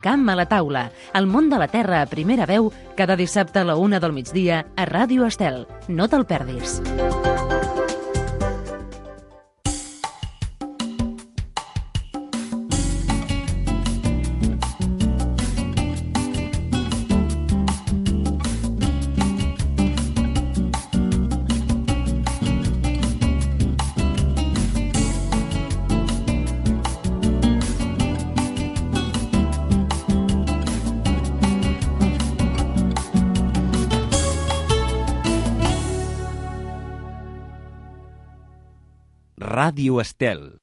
Camp a la taula, el món de la terra a primera veu, cada dissabte a la 1 del migdia a Ràdio Estel. No te'l perdis. Ràdio Estel.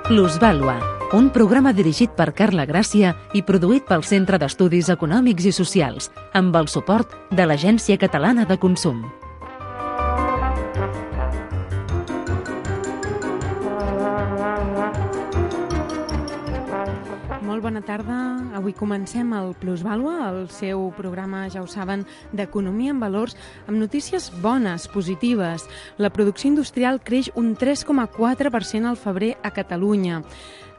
Plusvàlua, un programa dirigit per Carla Gràcia i produït pel Centre d'Estudis Econòmics i Socials, amb el suport de l'Agència Catalana de Consum. Molt bona tarda. Avui comencem el Plusvàlua, el seu programa, ja ho saben, d'economia en valors, amb notícies bones, positives. La producció industrial creix un 3,4% al febrer a Catalunya.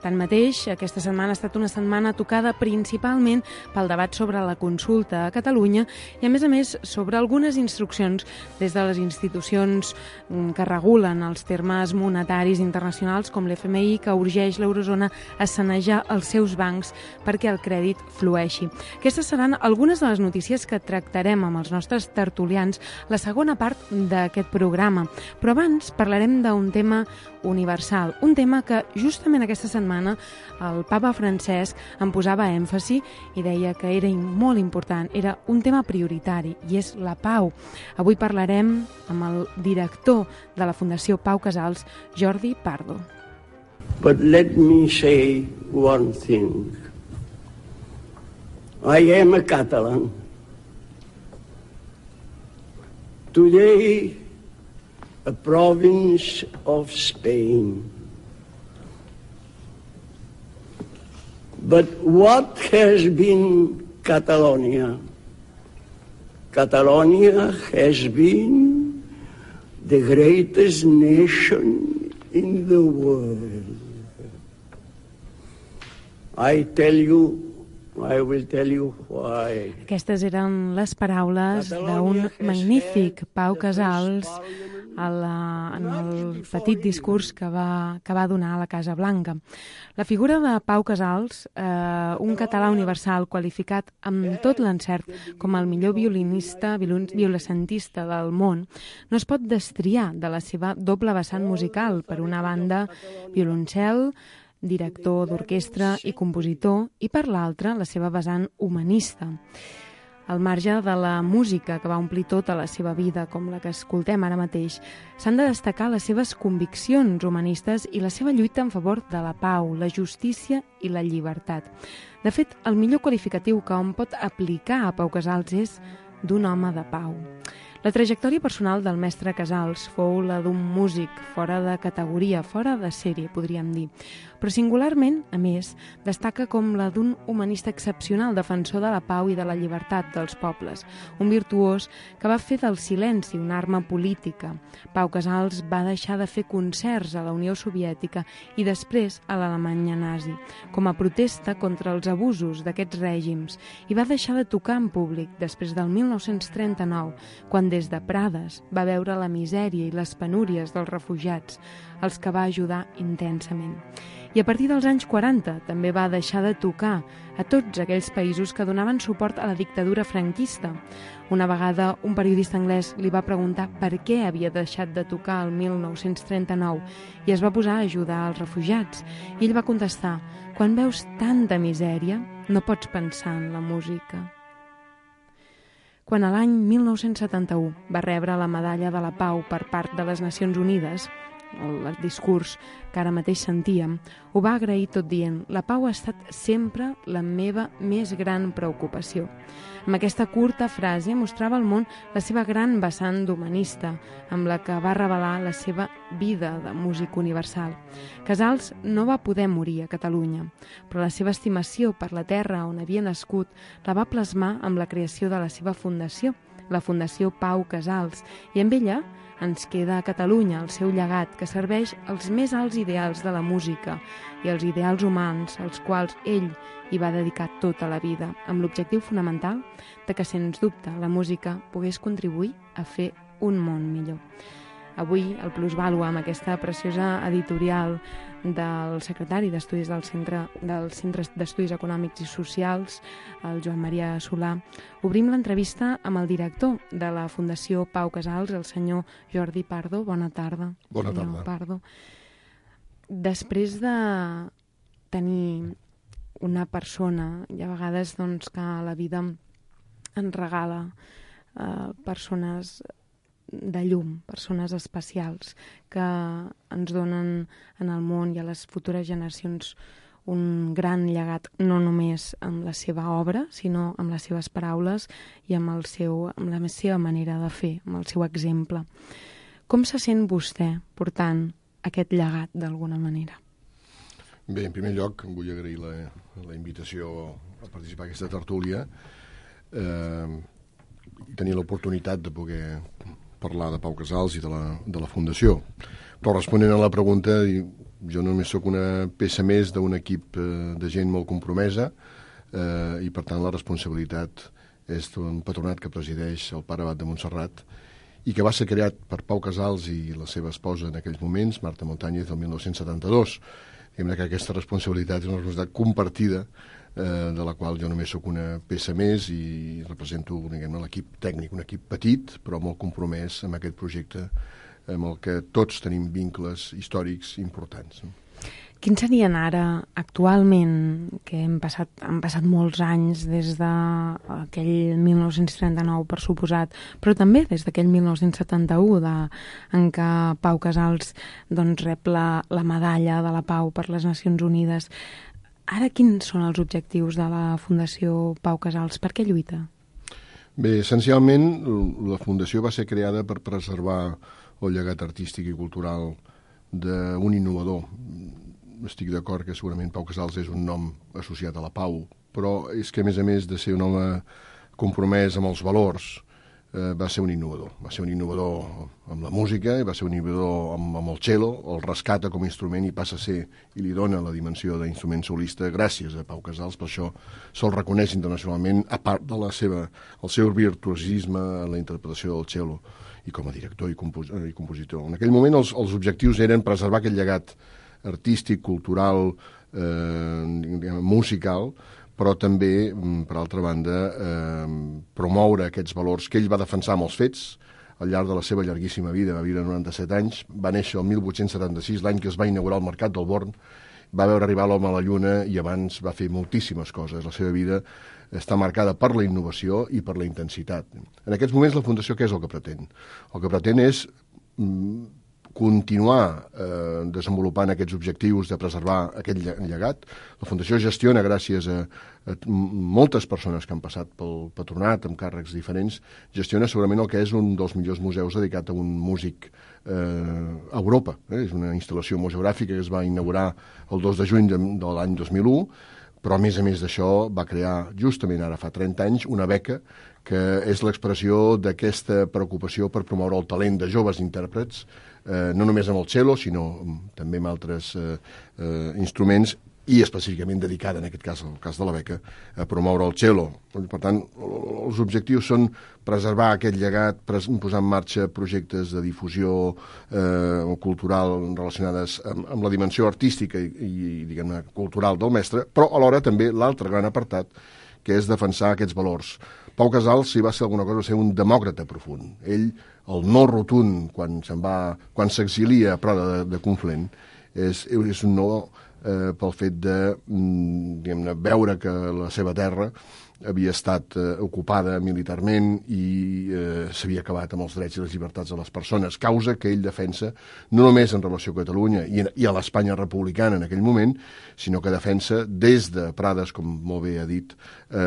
Tanmateix, aquesta setmana ha estat una setmana tocada principalment pel debat sobre la consulta a Catalunya i, a més, sobre algunes instruccions des de les institucions que regulen els termes monetaris internacionals, com l'FMI, que urgeix l'eurozona a sanejar els seus bancs perquè el crèdit flueixi. Aquestes seran algunes de les notícies que tractarem amb els nostres tertulians la segona part d'aquest programa. Però abans parlarem d'un tema universal, un tema que justament aquesta setmana el papa Francesc en posava èmfasi i deia que era molt important, era un tema prioritari, i és la pau. Avui parlarem amb el director de la Fundació Pau Casals, Jordi Pardo. But let me say one thing. I am a Catalan. Today, a province of Spain. But what has been Catalonia? Catalonia has been the greatest nation in the world. I will tell you why. Aquestes eren les paraules d'un magnífic Pau Casals en el petit discurs que va donar a la Casa Blanca. La figura de Pau Casals, un català universal qualificat amb tot l'encert com el millor violacentista del món, no es pot destriar de la seva doble vessant musical. Per una banda, violoncel, director d'orquestra i compositor, i per l'altra, la seva vessant humanista. Al marge de la música que va omplir tota la seva vida, com la que escoltem ara mateix, s'han de destacar les seves conviccions humanistes i la seva lluita en favor de la pau, la justícia i la llibertat. De fet, el millor qualificatiu que hom pot aplicar a Pau Casals és d'un home de pau. La trajectòria personal del mestre Casals fou la d'un músic fora de categoria, fora de sèrie, podríem dir. Però singularment, a més, destaca com la d'un humanista excepcional, defensor de la pau i de la llibertat dels pobles. Un virtuós que va fer del silenci una arma política. Pau Casals va deixar de fer concerts a la Unió Soviètica i després a l'Alemanya nazi, com a protesta contra els abusos d'aquests règims, i va deixar de tocar en públic després del 1939, quan des de Prades va veure la misèria i les penúries dels refugiats, els que va ajudar intensament. I a partir dels anys 40 també va deixar de tocar a tots aquells països que donaven suport a la dictadura franquista. Una vegada un periodista anglès li va preguntar per què havia deixat de tocar el 1939 i es va posar a ajudar els refugiats. I ell va contestar: quan veus tanta misèria, no pots pensar en la música. Quan a l'any 1971 va rebre la Medalla de la Pau per part de les Nacions Unides, el discurs que ara mateix sentíem, ho va agrair tot dient: la pau ha estat sempre la meva més gran preocupació. Amb aquesta curta frase mostrava al món la seva gran vessant d'humanista, amb la que va revelar la seva vida de músic universal. Casals no va poder morir a Catalunya, però la seva estimació per la terra on havia nascut la va plasmar amb la creació de la seva fundació, la Fundació Pau Casals, i amb ella ens queda a Catalunya el seu llegat, que serveix als més alts ideals de la música i als ideals humans als quals ell hi va dedicar tota la vida, amb l'objectiu fonamental de que, sens dubte, la música pogués contribuir a fer un món millor. Avui, el Plusvàlua, amb aquesta preciosa editorial del secretari d'Estudis del Centre d'Estudis Econòmics i Socials, el Joan Maria Solà, obrim l'entrevista amb el director de la Fundació Pau Casals, el senyor Jordi Pardo. Bona tarda. Bona tarda. Pardo. Després de tenir una persona, i a vegades doncs, que la vida ens regala persones de llum, persones especials que ens donen en el món i a les futures generacions un gran llegat, no només amb la seva obra, sinó amb les seves paraules i amb la seva manera de fer, amb el seu exemple. Com se sent vostè portant aquest llegat d'alguna manera? Bé, en primer lloc vull agrair la invitació a participar en aquesta tertúlia i tenir l'oportunitat de poder parlar de Pau Casals i de la Fundació. Però responent a la pregunta, jo només sóc una peça més d'un equip de gent molt compromesa i, per tant, la responsabilitat és d'un patronat que presideix el pare abat de Montserrat i que va ser creat per Pau Casals i la seva esposa en aquells moments, Marta Montañez, el 1972. Diguem que aquesta responsabilitat és una responsabilitat compartida de la qual jo només sóc una peça més i represento l'equip tècnic, un equip petit però molt compromès amb aquest projecte amb el que tots tenim vincles històrics importants. Quins serien ara, actualment, que han passat molts anys des d'aquell 1939, per suposat, però també des d'aquell 1971, en què Pau Casals rep la medalla de la Pau per les Nacions Unides. Ara, quins són els objectius de la Fundació Pau Casals? Per què lluita? Bé, essencialment, la Fundació va ser creada per preservar el llegat artístic i cultural d'un innovador. Estic d'acord que segurament Pau Casals és un nom associat a la pau, però és que, a més de ser un home compromès amb els valors, va ser un innovador. Va ser un innovador amb la música i va ser un innovador amb el cello, el rescata com a instrument i passa a ser, i li dona la dimensió d'instrument solista gràcies a Pau Casals. Per això se'l reconeix internacionalment, a part de el seu virtuosisme en la interpretació del cello i com a director i compositor. En aquell moment els objectius eren preservar aquest llegat artístic, cultural, musical, però també, per altra banda, promoure aquests valors que ell va defensar amb els fets al llarg de la seva llarguíssima vida. Va viure 97 anys, va néixer el 1876, l'any que es va inaugurar el Mercat del Born, va veure arribar l'home a la Lluna i abans va fer moltíssimes coses. La seva vida està marcada per la innovació i per la intensitat. En aquests moments la Fundació què és el que pretén? El que pretén és continuar desenvolupant aquests objectius de preservar aquest llegat. La Fundació gestiona, gràcies a moltes persones que han passat pel patronat amb càrrecs diferents, gestiona segurament el que és un dels millors museus dedicat a un músic a Europa. És una instal·lació museogràfica que es va inaugurar el 2 de juny de l'any 2001, però a més d'això va crear justament ara fa 30 anys una beca que és l'expressió d'aquesta preocupació per promoure el talent de joves intèrprets, no només amb el cello, sinó també amb altres instruments, i específicament dedicada, en aquest cas, el cas de la beca, a promoure el cello. Per tant, els objectius són preservar aquest llegat, posar en marxa projectes de difusió cultural relacionades amb la dimensió artística i diguem-ne, cultural del mestre, però alhora també l'altre gran apartat, que és defensar aquests valors. Pau Casals, si va ser alguna cosa, va ser un demòcrata profund. Ell, el no rotund, quan s'exilia a Prada de Conflent, és un no pel fet de veure que la seva terra havia estat ocupada militarment i s'havia acabat amb els drets i les llibertats de les persones, causa que ell defensa no només en relació a Catalunya i a l'Espanya republicana en aquell moment, sinó que defensa des de Prades, com molt bé ha dit,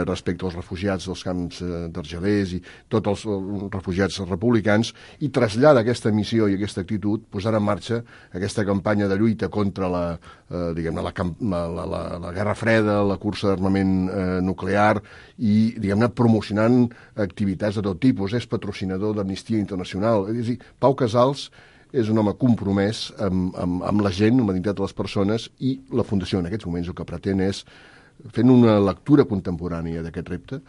respecte als refugiats dels camps d'Argelers i tots els refugiats republicans, i trasllada aquesta missió i aquesta actitud posant en marxa aquesta campanya de lluita contra la Guerra Freda, la cursa d'armament nuclear i, promocionant activitats de tot tipus. És patrocinador d'Amnistia Internacional. És a dir, Pau Casals és un home compromès amb la gent, amb la dignitat de les persones, i la Fundació en aquests moments el que pretén és, fent una lectura contemporània d'aquest repte,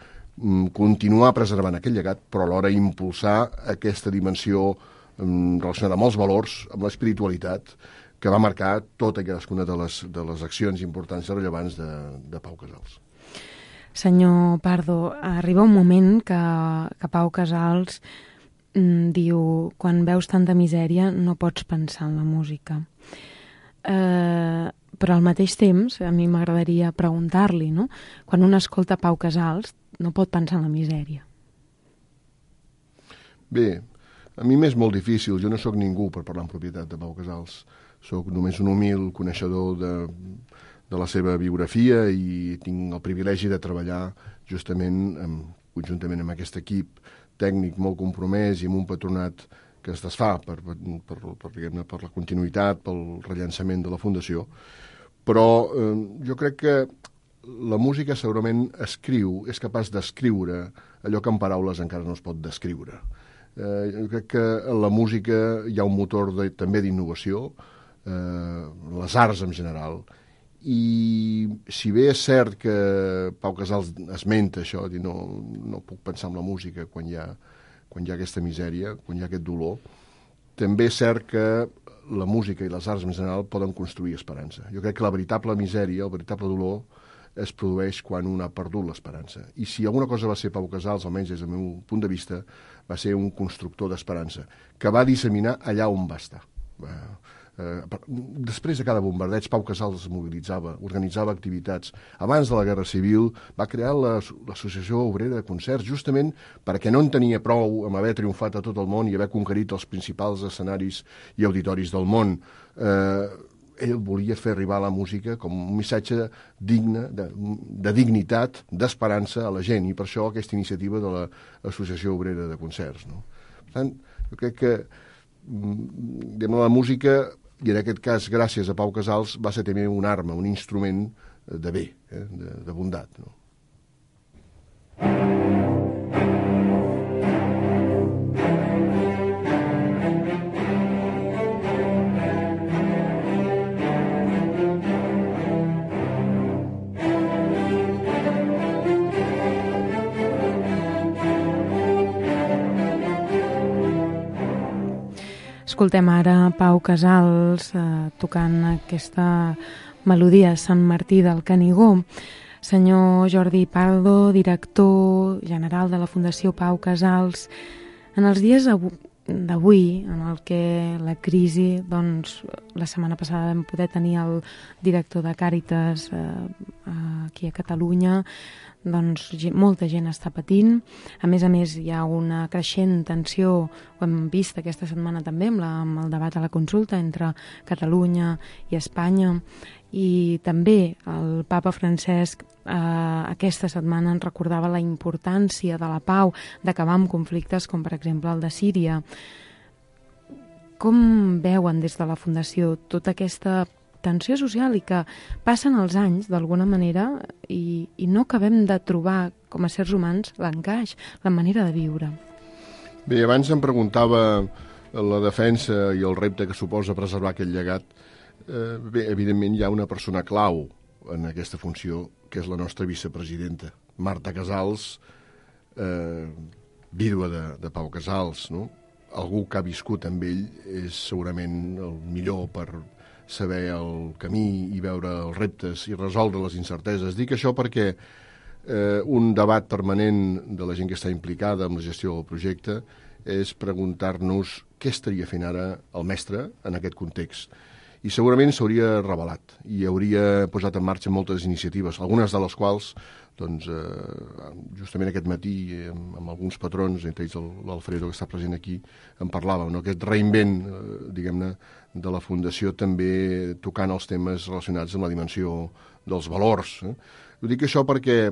continuar preservant aquest llegat, però alhora impulsar aquesta dimensió relacionada amb els valors, amb l'espiritualitat, que va marcar tota i cadascuna de les accions importants i rellevants de Pau Casals. Senyor Pardo, arriba un moment que Pau Casals diu: quan veus tanta misèria no pots pensar en la música. Però al mateix temps a mi m'agradaria preguntar-li, no? Quan un escolta Pau Casals no pot pensar en la misèria. Bé, a mi m'és molt difícil, jo no sóc ningú per parlar en propietat de Pau Casals. Sóc només un humil coneixedor de la seva biografia i tinc el privilegi de treballar justament conjuntament amb aquest equip tècnic molt compromès i amb un patronat que es desfà per la continuïtat, pel rellançament de la Fundació. Però jo crec que la música segurament és capaç d'escriure allò que en paraules encara no es pot descriure. Jo crec que en la música hi ha un motor també d'innovació, les arts en general, i si bé és cert que Pau Casals esmenta això, dir no puc pensar en la música quan hi ha aquesta misèria, quan hi ha aquest dolor, també és cert que la música i les arts en general poden construir esperança. Jo crec que la veritable misèria, el veritable dolor, es produeix quan un ha perdut l'esperança. I si alguna cosa va ser Pau Casals, almenys des del meu punt de vista, va ser un constructor d'esperança, que va disseminar allà on va estar. Després de cada bombardeig, Pau Casals es mobilitzava, organitzava activitats. Abans de la Guerra Civil va crear l'Associació Obrera de Concerts, justament perquè no en tenia prou amb haver triomfat a tot el món i haver conquerit els principals escenaris i auditoris del món. Ell volia fer arribar la música com un missatge digne, de dignitat, d'esperança a la gent, i per això aquesta iniciativa de l'Associació Obrera de Concerts. No? Per tant, jo crec que la música, i en aquest cas, gràcies a Pau Casals, va ser també una arma, un instrument de bé, de bondat. No? Escoltem ara Pau Casals tocant aquesta melodia Sant Martí del Canigó. Senyor Jordi Pardo, director general de la Fundació Pau Casals, en els dies d'avui, en el que la crisi, doncs, la setmana passada vam poder tenir el director de Càritas aquí a Catalunya, doncs molta gent està patint. A més, hi ha una creixent tensió, ho hem vist aquesta setmana també amb el debat a la consulta entre Catalunya i Espanya, i també el papa Francesc aquesta setmana ens recordava la importància de la pau, d'acabar amb conflictes com per exemple el de Síria. Com veuen des de la Fundació tota aquesta tensió social i que passen els anys d'alguna manera i no acabem de trobar com a sérs humans l'encaix, la manera de viure? Bé, abans em preguntava la defensa i el repte que suposa preservar aquest llegat. Bé, evidentment hi ha una persona clau en aquesta funció, que és la nostra vicepresidenta, Marta Casals, vídua de Pau Casals, no? Algú que ha viscut amb ell és segurament el millor per saber el camí i veure els reptes i resoldre les incerteses. Dic això perquè un debat permanent de la gent que està implicada en la gestió del projecte és preguntar-nos què estaria fent ara el mestre en aquest context. i segurament s'hauria revelat i hauria posat en marxa moltes iniciatives, algunes de les quals doncs, justament aquest matí amb alguns patrons, entre ells l'Alfredo que està present aquí, en parlàvem, no? Aquest reinvent, diguem-ne, de la Fundació també tocant els temes relacionats amb la dimensió dels valors. Ho dic això perquè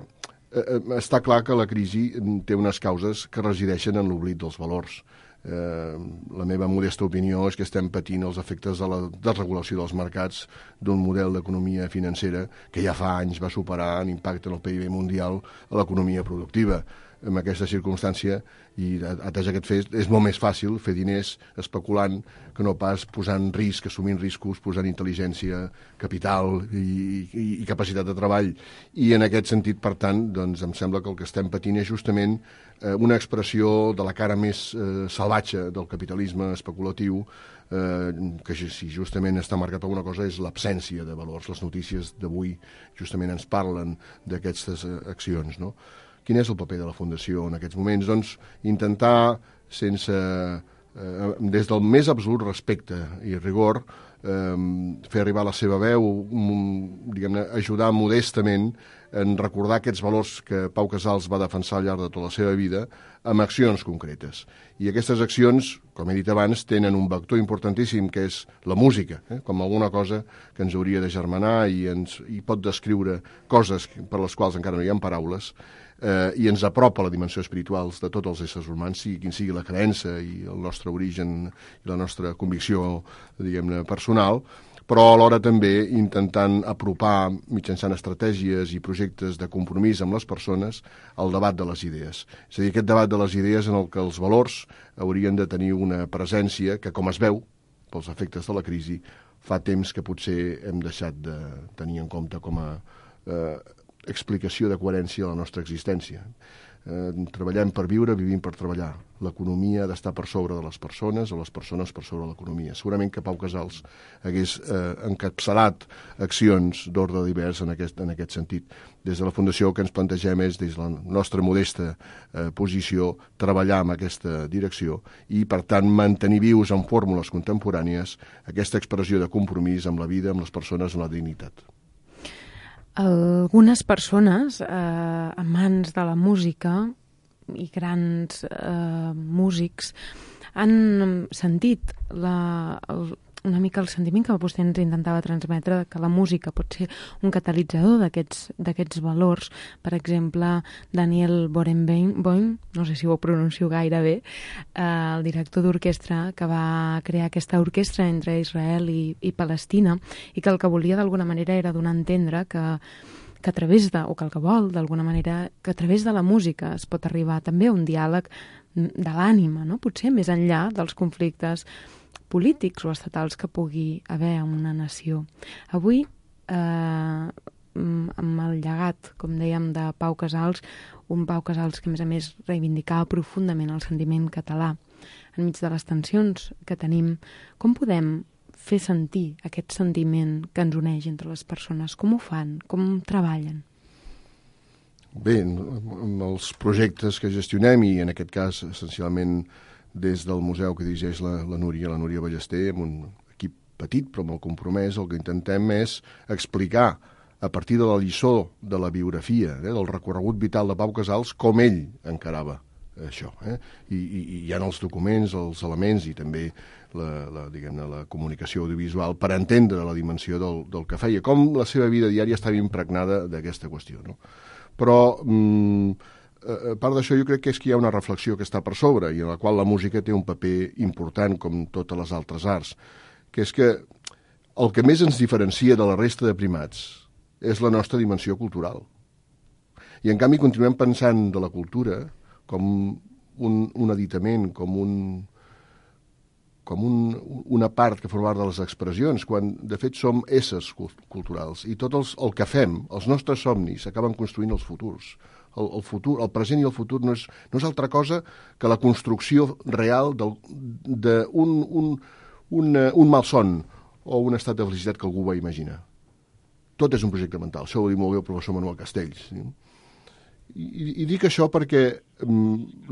està clar que la crisi té unes causes que resideixen en l'oblit dels valors. La meva modesta opinió és que estem patint els efectes de la desregulació dels mercats d'un model d'economia financera que ja fa anys va superar en impacte en el PIB mundial a l'economia productiva. En aquesta circumstància, i atès aquest fet, és molt més fàcil fer diners especulant que no pas posant risc, assumint riscos, posant intel·ligència, capital i capacitat de treball. I en aquest sentit, per tant, doncs, em sembla que el que estem patint és justament una expressió de la cara més salvatge del capitalisme especulatiu, que si justament està marcat per alguna cosa és l'absència de valors. Les notícies d'avui justament ens parlen d'aquestes accions, no? Quin és el paper de la Fundació en aquests moments? Doncs intentar, des del més absolut respecte i rigor, fer arribar la seva veu, diguem-ne, ajudar modestament en recordar aquests valors que Pau Casals va defensar al llarg de tota la seva vida amb accions concretes. I aquestes accions, com he dit abans, tenen un vector importantíssim que és la música, com alguna cosa que ens hauria de germanar i pot descriure coses per les quals encara no hi ha paraules, i ens apropa a la dimensió espiritual de tots els éssers humans, sigui quin sigui la creença i el nostre origen i la nostra convicció, diguem-ne, personal, però alhora també intentant apropar mitjançant estratègies i projectes de compromís amb les persones el debat de les idees. És a dir, aquest debat de les idees en el que els valors haurien de tenir una presència que, com es veu, pels efectes de la crisi, fa temps que potser hem deixat de tenir en compte com a explicació de coherència a la nostra existència. Treballem per viure, vivim per treballar. L'economia ha d'estar per sobre de les persones o les persones per sobre de l'economia. Segurament que Pau Casals hagués encapçalat accions d'ordre divers en aquest sentit. Des de la Fundació el que ens plantegem és, des de la nostra modesta posició, treballar en aquesta direcció i, per tant, mantenir vius en fórmules contemporànies aquesta expressió de compromís amb la vida, amb les persones, amb la dignitat. Algunes persones, amants de la música i grans músics, han sentit una mica el sentiment que vostè ens intentava transmetre, que la música pot ser un catalitzador d'aquests valors. Per exemple, Daniel Barenboim, no sé si ho pronuncio gaire bé, el director d'orquestra que va crear aquesta orquestra entre Israel i Palestina, i que el que volia d'alguna manera era donar a entendre que a través de, o que el que vol d'alguna manera, que a través de la música es pot arribar també a un diàleg de l'ànima, no? Potser més enllà dels conflictes polítics o estatals que pugui haver en una nació. Avui, amb el llegat, com dèiem, de Pau Casals, un Pau Casals que, a més, reivindicava profundament el sentiment català. Enmig de les tensions que tenim, com podem fer sentir aquest sentiment que ens uneix entre les persones? Com ho fan? Com treballen? Bé, amb els projectes que gestionem, i en aquest cas, essencialment, des del museu que dirigeix la Núria Ballester, amb un equip petit però molt compromès, el que intentem és explicar a partir de la lliçó de la biografia, del recorregut vital de Pau Casals, com ell encarava això. I hi ha els documents, els elements i també la comunicació audiovisual per entendre la dimensió del que feia, com la seva vida diària estava impregnada d'aquesta qüestió. No? Però a part d'això, jo crec que és que hi ha una reflexió que està per sobre i en la qual la música té un paper important com totes les altres arts, que és que el que més ens diferencia de la resta de primats és la nostra dimensió cultural. I en canvi continuem pensant de la cultura com un aditament, com una part que forma part de les expressions, quan de fet som éssers culturals i tot el que fem, els nostres somnis, acaben construint els futurs. El futur, el present i el futur no és altra cosa que la construcció real d'un malson o un estat de felicitat que algú va imaginar. Tot és un projecte mental. Això ho diu molt bé el professor Manuel Castells. I dic això perquè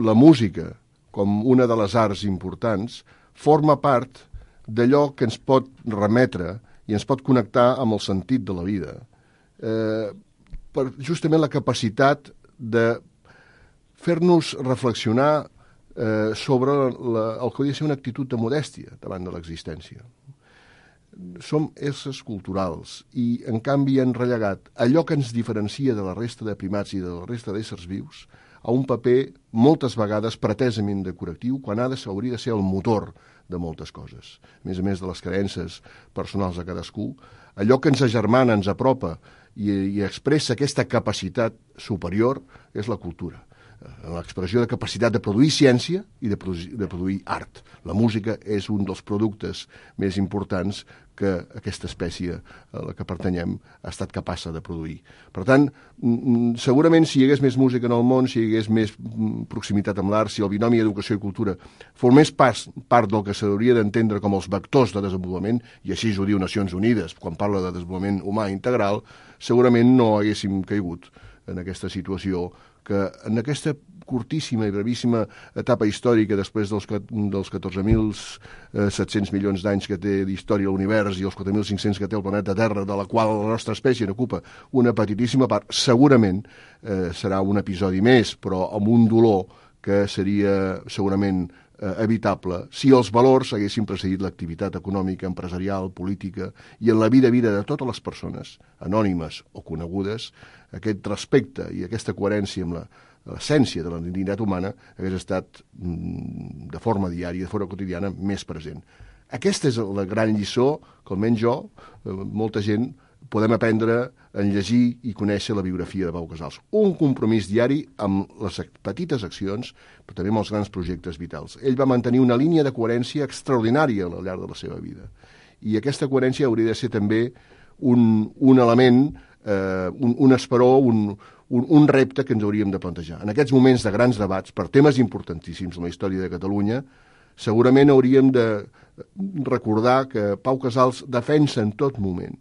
la música, com una de les arts importants, forma part d'allò que ens pot remetre i ens pot connectar amb el sentit de la vida, per justament la capacitat de fer-nos reflexionar sobre el que hauria de ser una actitud de modèstia davant de l'existència. Som éssers culturals i, en canvi, han relegat allò que ens diferencia de la resta de primats i de la resta d'éssers vius a un paper moltes vegades pretesament decoratiu, quan hauria de ser el motor de moltes coses. A més de les creences personals de cadascú, allò que ens agermana, ens apropa i expressa aquesta capacitat superior és la cultura. L'expressió de capacitat de produir ciència i de produir art. La música és un dels productes més importants que aquesta espècie a la que pertanyem ha estat capaç de produir. Per tant, segurament si hi hagués més música en el món, si hi hagués més proximitat amb l'art, si el binomi educació i cultura formés part del que s'hauria d'entendre com els vectors de desenvolupament, i així ho diu Nacions Unides quan parla de desenvolupament humà integral, segurament no haguéssim caigut en aquesta situació que en aquesta curtíssima i brevíssima etapa històrica després dels 14.700 milions d'anys que té d'història l'univers i els 4.500 que té el planeta Terra, de la qual la nostra espècie n'ocupa una petitíssima part, segurament serà un episodi més, però amb un dolor que seria segurament evitable si els valors haguessin precedit l'activitat econòmica, empresarial, política i en la vida de totes les persones, anònimes o conegudes, aquest respecte i aquesta coherència amb l'essència de la dignitat humana hagués estat de forma diària, de forma quotidiana, més present. Aquesta és la gran lliçó que almenys jo, molta gent, podem aprendre en llegir i conèixer la biografia de Pau Casals. Un compromís diari amb les petites accions, però també amb els grans projectes vitals. Ell va mantenir una línia de coherència extraordinària al llarg de la seva vida. I aquesta coherència hauria de ser també un element, un esperó, un repte que ens hauríem de plantejar. En aquests moments de grans debats, per temes importantíssims en la història de Catalunya, segurament hauríem de recordar que Pau Casals defensa en tot moment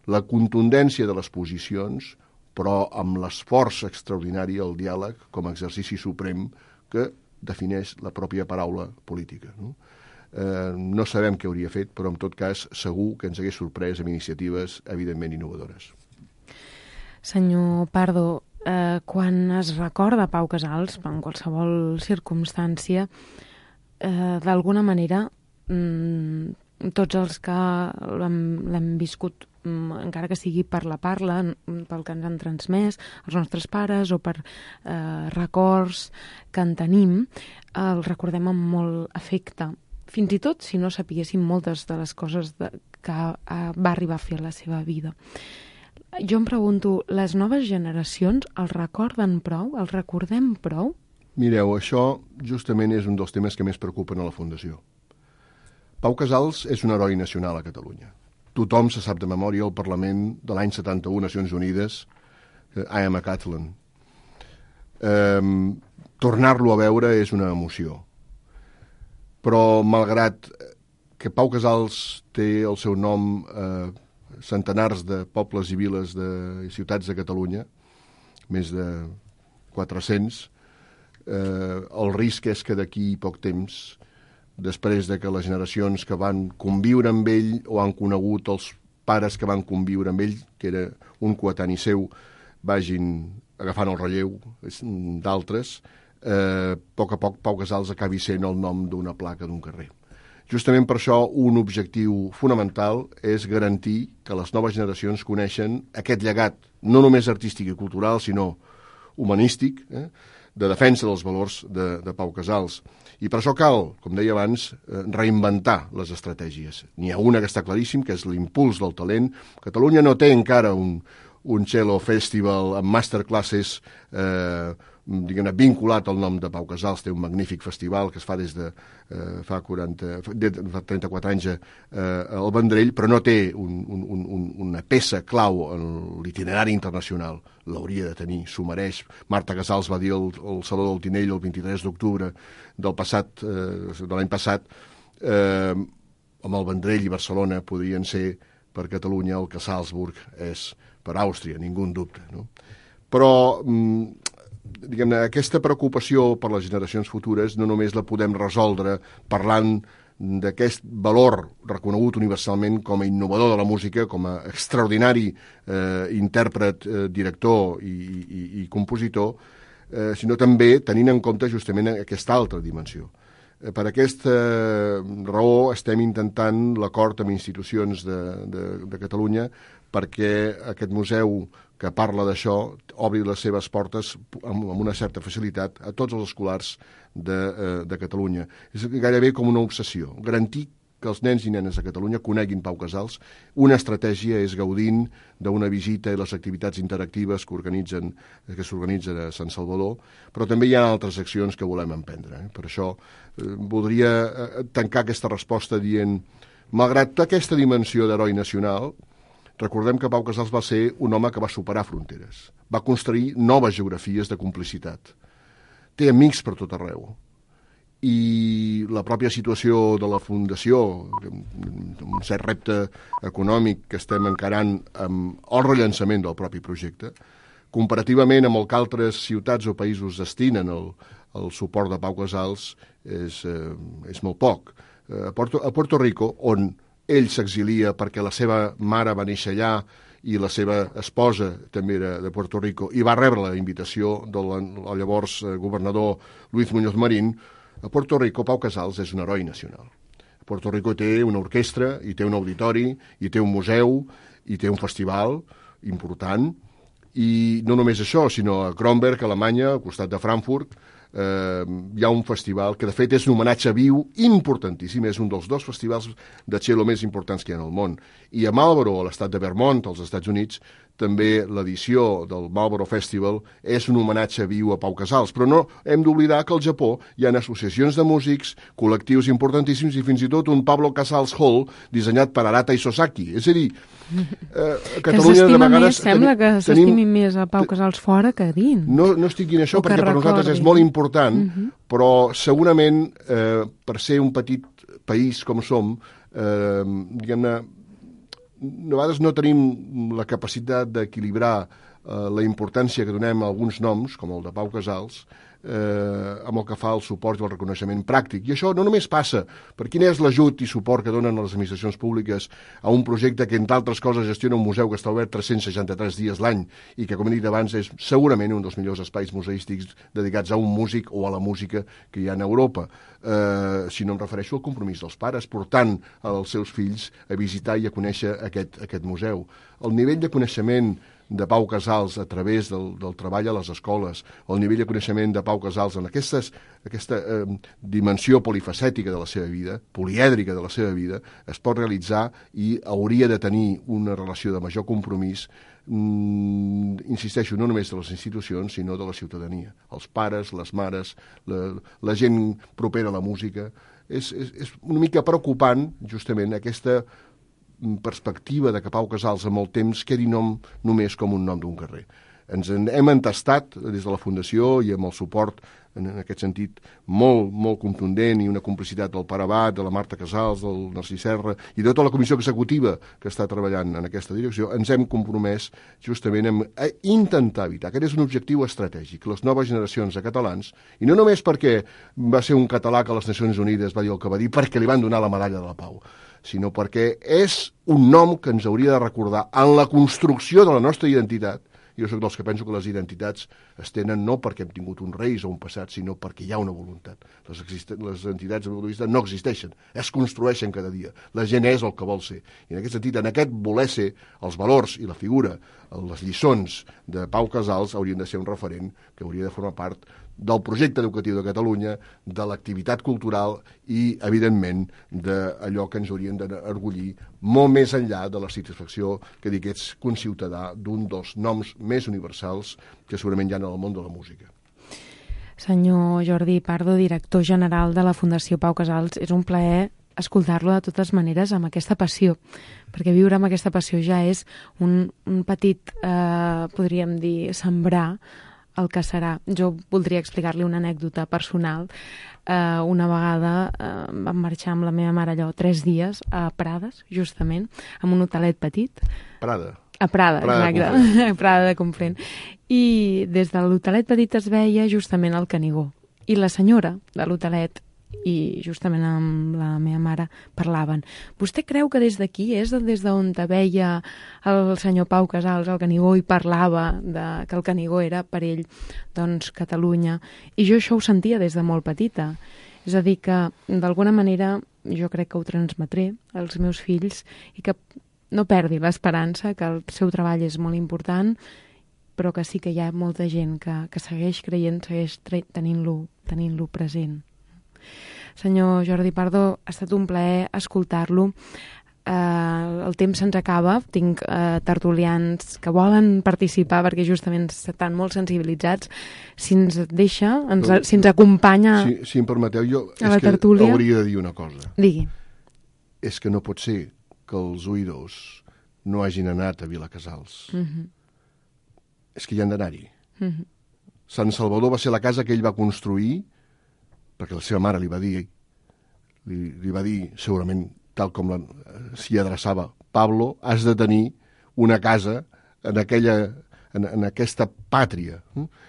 la contundència de les posicions, però amb l'esforç extraordinari al diàleg com a exercici suprem que defineix la pròpia paraula política. No sabem què hauria fet, però en tot cas segur que ens hagués sorprès amb iniciatives evidentment innovadores. Senyor Pardo, quan es recorda Pau Casals, en qualsevol circumstància, d'alguna manera tots els que l'hem viscut, encara que sigui per la parla, pel que ens han transmès els nostres pares o per records que en tenim, el recordem amb molt afecte. Fins i tot si no sapiguéssim moltes de les coses que va arribar a fer a la seva vida. Jo em pregunto, les noves generacions el recorden prou? El recordem prou? Mireu, això justament és un dels temes que més preocupen a la Fundació. Pau Casals és un heroi nacional a Catalunya. Tothom se sap de memòria el Parlament de l'any 71, Nacions Unides, I am a Catalan. Tornar-lo a veure és una emoció. Però, malgrat que Pau Casals té el seu nom centenars de pobles i viles i ciutats de Catalunya, més de 400, el risc és que d'aquí poc temps, després de que les generacions que van conviure amb ell o han conegut els pares que van conviure amb ell, que era un coetani seu, vagin agafant el relleu d'altres, a poc Pau Casals acabi sent el nom d'una placa d'un carrer. Justament per això un objectiu fonamental és garantir que les noves generacions coneixen aquest llegat, no només artístic i cultural, sinó humanístic, de defensa dels valors de Pau Casals. I per això cal, com deia abans, reinventar les estratègies. N'hi ha una que està claríssim, que és l'impuls del talent. Catalunya no té encara un cello festival amb masterclasses vinculat al nom de Pau Casals. Té un magnífic festival que es fa des de fa 34 anys al Vendrell, però no té una peça clau en l'itinerari internacional. L'hauria de tenir, s'ho mereix. Marta Casals va dir al Saló del Tinell el 23 d'octubre de l'any passat, amb el Vendrell i Barcelona podrien ser per Catalunya el que Salzburg és per Àustria, ningú en dubte. No? Però diguem-ne, aquesta preocupació per les generacions futures no només la podem resoldre parlant d'aquest valor reconegut universalment com a innovador de la música, com a extraordinari intèrpret, director i compositor, sinó també tenint en compte justament aquesta altra dimensió. Per aquesta raó estem intentant l'acord amb institucions de Catalunya perquè aquest museu que parla d'això obri les seves portes amb una certa facilitat a tots els escolars de Catalunya. És gairebé com una obsessió, garantir que els nens i nenes de Catalunya coneguin Pau Casals. Una estratègia és gaudint d'una visita i les activitats interactives que s'organitzen a Sant Salvador, però també hi ha altres accions que volem emprendre. Per això voldria tancar aquesta resposta dient, malgrat aquesta dimensió d'heroi nacional, recordem que Pau Casals va ser un home que va superar fronteres, va construir noves geografies de complicitat, té amics per tot arreu, i la pròpia situació de la Fundació, un cert repte econòmic que estem encarant amb el rellançament del propi projecte, comparativament amb el que altres ciutats o països destinen el suport de Pau Casals, és molt poc. A Puerto Rico, on ell s'exilia perquè la seva mare va néixer allà i la seva esposa també era de Puerto Rico, i va rebre la invitació del llavors governador Luis Muñoz Marín, a Puerto Rico Pau Casals és un heroi nacional. A Puerto Rico té una orquestra, i té un auditori, i té un museu, i té un festival important, i no només això, sinó a Kronberg, a Alemanya, al costat de Frankfurt, hi ha un festival que de fet és un homenatge viu importantíssim, és un dels 2 festivals de cello més importants que hi ha en el món. I a Marlboro, a l'estat de Vermont, als Estats Units, també l'edició del Marlboro Festival és un homenatge viu a Pau Casals. Però no hem d'oblidar que al Japó hi ha associacions de músics, col·lectius importantíssims i fins i tot un Pablo Casals Hall dissenyat per Arata i Sosaki. És a dir, a Catalunya de vegades... Sembla que s'estimi més a Pau Casals fora que a dins. No estic dient això perquè per nosaltres és molt important, però segurament per ser un petit país com som, diguem-ne, a vegades no tenim la capacitat d'equilibrar la importància que donem a alguns noms, com el de Pau Casals, amb el que fa el suport i el reconeixement pràctic. I això no només passa per quin és l'ajut i suport que donen les administracions públiques a un projecte que, entre altres coses, gestiona un museu que està obert 363 dies l'any i que, com he dit abans, és segurament un dels millors espais museístics dedicats a un músic o a la música que hi ha a Europa. Si no em refereixo al compromís dels pares, portant els seus fills a visitar i a conèixer aquest museu. El nivell de coneixement de Pau Casals a través del treball a les escoles, el nivell de coneixement de Pau Casals en aquesta dimensió polifacètica de la seva vida, polièdrica de la seva vida, es pot realitzar i hauria de tenir una relació de major compromís, insisteixo, no només de les institucions, sinó de la ciutadania. Els pares, les mares, la gent propera a la música. És una mica preocupant, justament, aquesta perspectiva de que Pau Casals amb el temps quedi només com un nom d'un carrer. Ens hem entestat des de la Fundació i amb el suport, en aquest sentit, molt, molt contundent i una complicitat del Pare Abat, de la Marta Casals, del Narcís Serra i de tota la comissió executiva que està treballant en aquesta direcció, ens hem compromès justament a intentar evitar. Aquest és un objectiu estratègic. Les noves generacions de catalans, i no només perquè va ser un català que a les Nacions Unides va dir el que va dir, perquè li van donar la medalla de la Pau, sinó perquè és un nom que ens hauria de recordar en la construcció de la nostra identitat. Jo soc dels que penso que les identitats es tenen no perquè hem tingut uns reis o un passat, sinó perquè hi ha una voluntat. Les entitats no existeixen, es construeixen cada dia. La gent és el que vol ser. I en aquest sentit, en aquest voler ser, els valors i la figura, les lliçons de Pau Casals haurien de ser un referent que hauria de formar part del projecte educatiu de Catalunya, de l'activitat cultural i, evidentment, d'allò que ens haurien d'enorgullir molt més enllà de la satisfacció que dir que ets conciutadà d'un dels noms més universals que segurament hi ha en el món de la música. Senyor Jordi Pardo, director general de la Fundació Pau Casals, és un plaer escoltar-lo de totes maneres amb aquesta passió, perquè viure amb aquesta passió ja és un petit, podríem dir, sembrar el que serà. Jo voldria explicar-li una anècdota personal. Una vegada vam marxar amb la meva mare allò 3 dies a Prades, justament, amb un hotelet petit. Prada. A Prada, exacte. A Prada de Conflent. I des de l'hotelet petit es veia justament el Canigó. I la senyora de l'hotelet i justament amb la meva mare parlaven. Vostè creu que des d'aquí és des d'on veia el senyor Pau Casals, el Canigó, i parlava que el Canigó era per ell doncs Catalunya, i jo això ho sentia des de molt petita. És a dir que d'alguna manera jo crec que ho transmetré als meus fills i que no perdi l'esperança, que el seu treball és molt important, però que sí que hi ha molta gent que segueix creient, segueix tenint-lo present. Senyor Jordi Pardo, ha estat un plaer escoltar-lo. El temps se'ns acaba. Tinc tertulians que volen participar perquè justament estan molt sensibilitzats. Si ens deixa, si ens acompanya si em permeteu, jo a la tertúlia... hauria de dir una cosa. Digui. És que no pot ser que els oïdors no hagin anat a Vilacsals. És que hi han d'anar-hi. Sant Salvador va ser la casa que ell va construir perquè la seva mare li va dir, segurament, tal com s'hi adreçava, Pablo, has de tenir una casa en aquesta pàtria.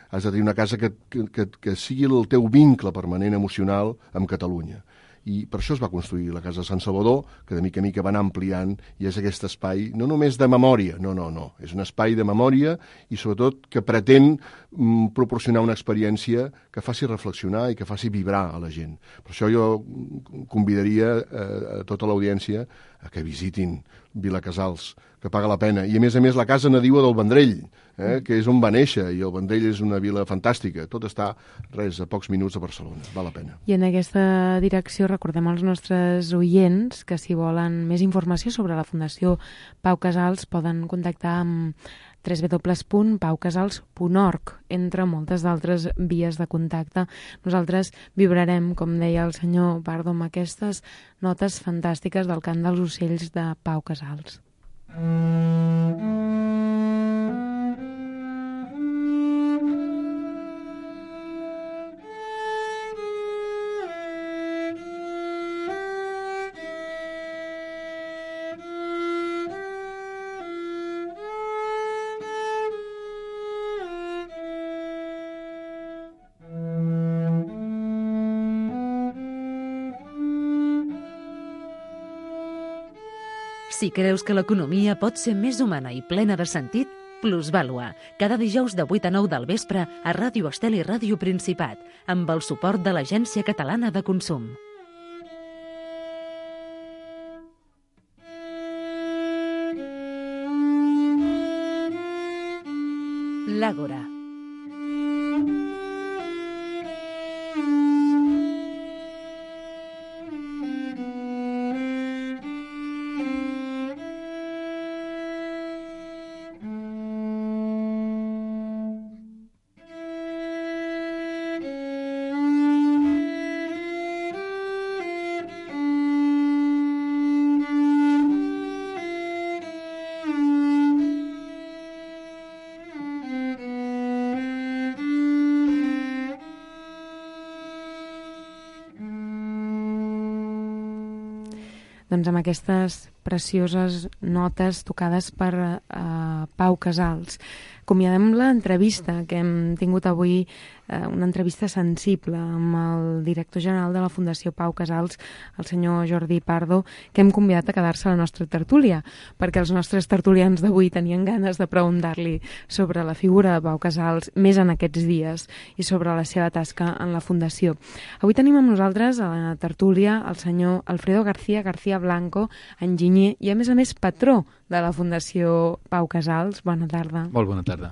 Has de tenir una casa que sigui el teu vincle permanent emocional amb Catalunya. I per això es va construir la Casa de Sant Salvador, que de mica en mica va anar ampliant, i és aquest espai, no només de memòria, no, és un espai de memòria i sobretot que pretén proporcionar una experiència que faci reflexionar i que faci vibrar a la gent. Per això jo convidaria a tota l'audiència a que visitin Vilacsals, que paga la pena. I a més la casa nadiua del Vendrell, que és on va néixer, i el Vendrell és una vila fantàstica. Tot està, a pocs minuts de Barcelona. Val la pena. I en aquesta direcció recordem als nostres oients que si volen més informació sobre la Fundació Pau Casals poden contactar amb www.paucasals.org, entre moltes d'altres vies de contacte. Nosaltres vibrarem, com deia el senyor Pardo, amb aquestes notes fantàstiques del cant dels ocells de Pau Casals. Si creus que l'economia pot ser més humana i plena de sentit, Plusvàlua, cada dijous de 8 a 9 del vespre a Ràdio Estel i Ràdio Principat, amb el suport de l'Agència Catalana de Consum. L'Àgora. Doncs amb aquestes precioses notes tocades per Pau Casals. Acomiadem l'entrevista que hem tingut avui, una entrevista sensible amb el director general de la Fundació Pau Casals, el senyor Jordi Pardo, que hem convidat a quedar-se a la nostra tertúlia, perquè els nostres tertulians d'avui tenien ganes de preguntar-li sobre la figura de Pau Casals més en aquests dies i sobre la seva tasca en la Fundació. Avui tenim amb nosaltres a la tertúlia el senyor Alfredo García Blanco, enginyer i a més patró de la Fundació Pau Casals. Bona tarda. Molt bona tarda.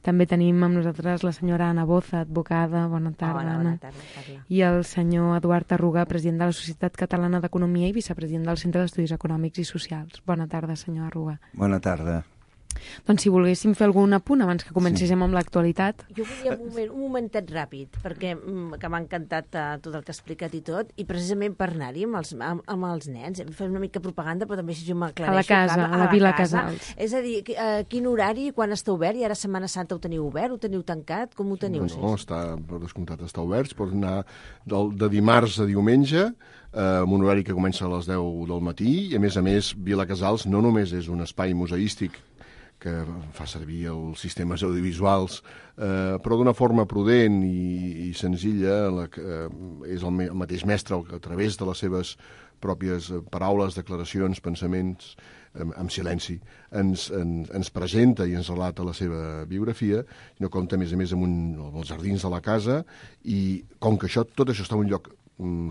També tenim amb nosaltres la senyora Anna Boza, advocada. Bona tarda, Anna. Bona tarda. I el senyor Eduard Arruga, president de la Societat Catalana d'Economia i vicepresident del Centre d'Estudis Econòmics i Socials. Bona tarda, senyor Arruga. Bona tarda. Doncs si volguéssim fer algun apunt abans que comencéssim amb l'actualitat. Jo volia un momentet ràpid, perquè que m'ha encantat tot el que ha explicat i tot, i precisament per anar-hi amb els nens, fer una mica propaganda, però també si jo m'aclareixo. A la casa, a la Vila Casals. És a dir, quin horari, quan està obert, i ara Setmana Santa ho teniu obert, ho teniu tancat, com ho teniu? No, està, per descomptat, està obert, pot anar de dimarts a diumenge, amb un horari que comença a les 10 del matí, i a més, Vila Casals no només és un espai museístic que fa servir els sistemes audiovisuals, però d'una forma prudent i senzilla. És el mateix mestre a través de les seves pròpies paraules, declaracions, pensaments, amb silenci, ens presenta i ens relata la seva biografia, i no compta, a més, amb els jardins de la casa, i com que tot això està en un lloc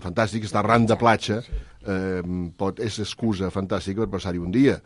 fantàstic, està arran de platja, és excusa fantàstica per passar-hi un dia.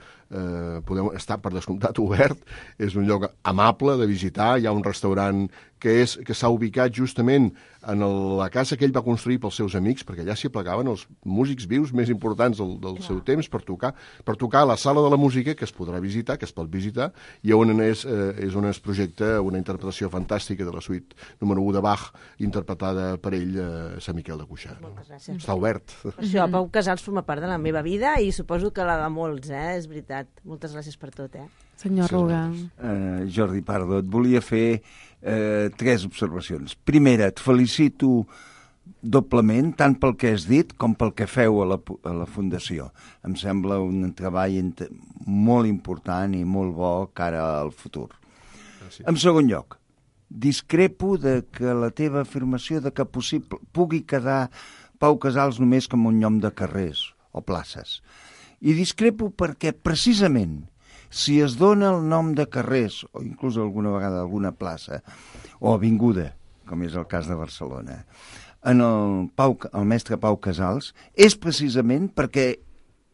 Podeu estar, per descomptat, obert, és un lloc amable de visitar, hi ha un restaurant que s'ha ubicat justament en la casa que ell va construir pels seus amics, perquè allà s'hi aplegaven els músics vius més importants del seu temps per tocar a la sala de la música, que es podrà visitar, que es pot visitar, i on és on es projecta una interpretació fantàstica de la suite número 1 de Bach, interpretada per ell a Sant Miquel de Cuixà. Moltes gràcies. Està obert. Això, Pau Casals forma part de la meva vida i suposo que la de molts, és veritat. Moltes gràcies per tot, Senyor Ruga. Jordi Pardo, et volia fer 3 observacions. Primera, et felicito doblement, tant pel que has dit com pel que feu a la Fundació. Em sembla un treball molt important i molt bo cara al futur. Gràcies. En segon lloc, discrepo de que la teva afirmació de que pugui quedar Pau Casals només com un nom de carrers o places. I discrepo perquè, precisament, si es dona el nom de carrers, o inclús alguna vegada alguna plaça, o avinguda, com és el cas de Barcelona, en el mestre Pau Casals, és precisament perquè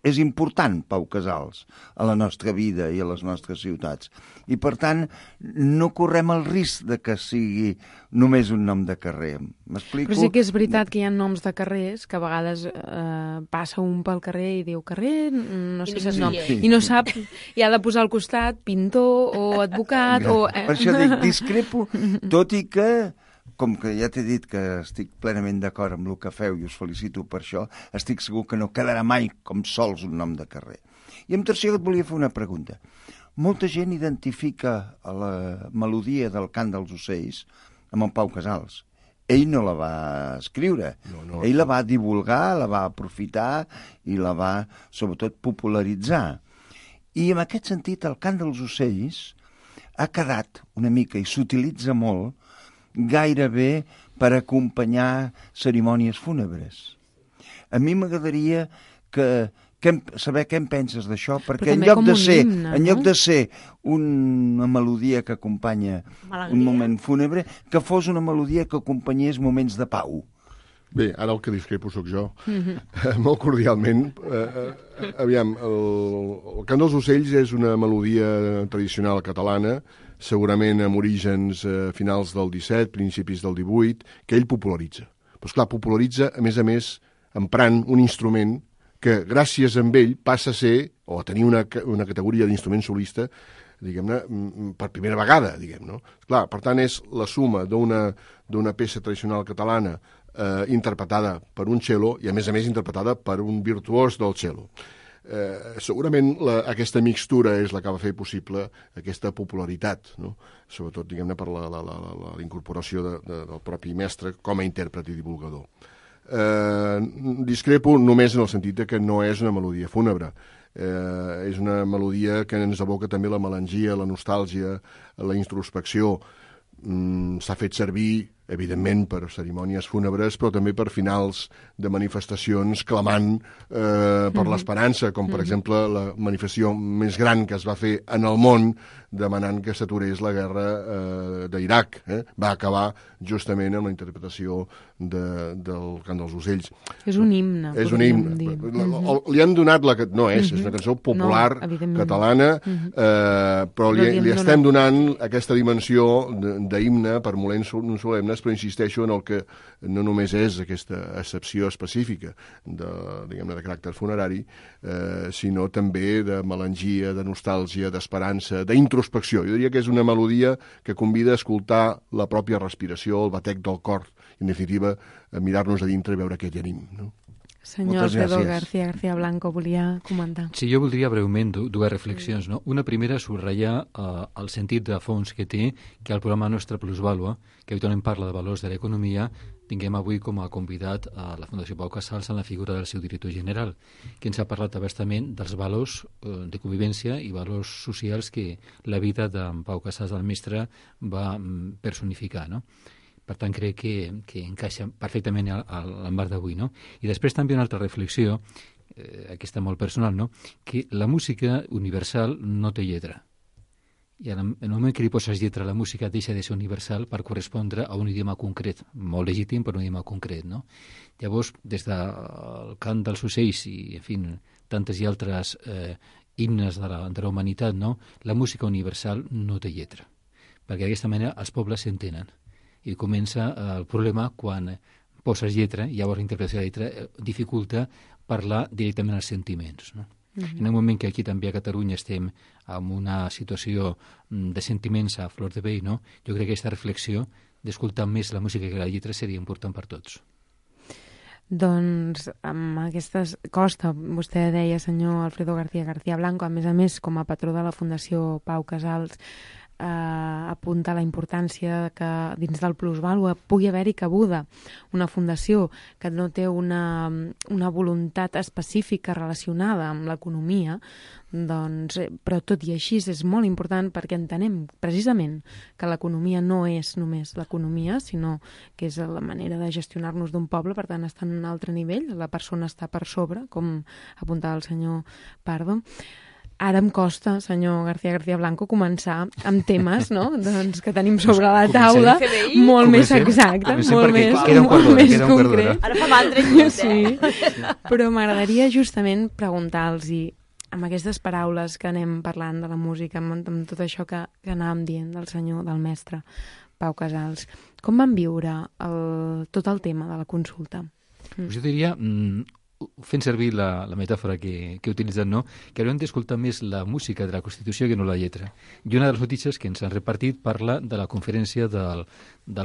és important Pau Casals a la nostra vida i a les nostres ciutats. I, per tant, no correm el risc de que sigui només un nom de carrer. M'explico? Però sí que és veritat que hi ha noms de carrers que a vegades passa un pel carrer i diu carrer, no sé quin nom, i no sap, i ha de posar al costat pintor o advocat o... Per això dic, discrepo, tot i que, com que ja t'he dit que estic plenament d'acord amb el que feu i us felicito per això, estic segur que no quedarà mai com sols un nom de carrer. I en tercer lloc et volia fer una pregunta. Molta gent identifica la melodia del Cant dels Ocells amb en Pau Casals. Ell no la va escriure. No. Ell la va divulgar, la va aprofitar i la va, sobretot, popularitzar. I en aquest sentit, el Cant dels Ocells ha quedat una mica, i s'utilitza molt, gairebé per acompanyar cerimònies fúnebres. A mi m'agradaria saber què en penses d'això, perquè en lloc de ser una melodia que acompanya un moment fúnebre, que fos una melodia que acompanyés moments de pau. Bé, ara el que discrepo sóc jo. Molt cordialment. Aviam, el Cant dels Ocells és una melodia tradicional catalana, segurament amb orígens finals del 17, principis del 18, que ell popularitza. Però, esclar, popularitza, a més, emprant un instrument que, gràcies a ell, passa a ser, o a tenir una categoria d'instrument solista, diguem-ne, per primera vegada, diguem-ne. Clar, per tant, és la suma d'una peça tradicional catalana interpretada per un cello i, a més, interpretada per un virtuós del cello. Segurament aquesta mixtura és la que va fer possible aquesta popularitat, no? Sobretot, diguem-ne, per la incorporació del propi mestre com a intèrpret i divulgador. Discrepo només en el sentit que no és una melodia fúnebre. És una melodia que ens evoca també la melangia, la nostàlgia, la introspecció. S'ha fet servir, evidentment, per cerimònies fúnebres, però també per finals de manifestacions clamant per l'esperança, com, per exemple, la manifestació més gran que es va fer en el món demanant que s'aturés la guerra d'Iraq. Va acabar justament amb la interpretació del Cant dels Ocells. És un himne. És un himne. Li han donat no és una cançó popular catalana, però li estem donant aquesta dimensió d'himne per moments solemnes, però insisteixo en el que no només és aquesta excepció específica de caràcter funerari, sinó també de melangia, de nostàlgia, d'esperança, d'introspecció. Jo diria que és una melodia que convida a escoltar la pròpia respiració, el batec del cor, i, en definitiva, a mirar-nos a dintre i veure què tenim, no? Senyor Alfredo García Blanco, volia comentar. Sí, jo voldria breument dues reflexions, no? Una primera, subratllar el sentit de fons que té que el programa Nostra Plusvàlua, que habitualment parla de valors de l'economia, tinguem avui com a convidat a la Fundació Pau Casals en la figura del seu director general, que ens ha parlat abastament dels valors de convivència i valors socials que la vida d'en Pau Casals, el mestre, va personificar, no? Per tant, crec que encaixa perfectament a l'embarc d'avui, no? I després també una altra reflexió, aquesta molt personal, no? Que la música universal no té lletra. I en el moment que li poses lletra a la música deixa de ser universal per correspondre a un idioma concret, molt legítim però un idioma concret, no? Llavors, des del cant dels ocells i, en fi, tantes i altres himnes de la humanitat, no? La música universal no té lletra, perquè d'aquesta manera els pobles s'entenen. I comença el problema quan poses lletra, i llavors la interpretació de lletra dificulta parlar directament als sentiments, no? En el moment que aquí també a Catalunya estem en una situació de sentiments a flor de pell, no? Jo crec que aquesta reflexió d'escoltar més la música que la lletra seria important per tots. Doncs amb aquestes... Costa, vostè deia, senyor Alfredo García Blanco, a més, com a patró de la Fundació Pau Casals, apunta la importància que dins del plusvàlua pugui haver-hi cabuda una fundació que no té una voluntat específica relacionada amb l'economia, doncs, però tot i així és molt important perquè entenem precisament que l'economia no és només l'economia, sinó que és la manera de gestionar-nos d'un poble, per tant està en un altre nivell, la persona està per sobre, com apuntava el senyor Pardo. Ara em costa, senyor García Blanco, començar amb temes, no?, doncs, que tenim sobre la taula, molt més exactes, molt més concrets. Ara fa mandra, sí. Però m'agradaria justament preguntar-los, amb aquestes paraules que anem parlant de la música, amb tot això que anàvem dient del mestre Pau Casals, com van viure tot el tema de la consulta? Jo diria, fent servir la metàfora que he utilitzat, no? Que hauríem d'escoltar més la música de la Constitució que no la lletra. I una de les notícies que ens han repartit parla de la conferència del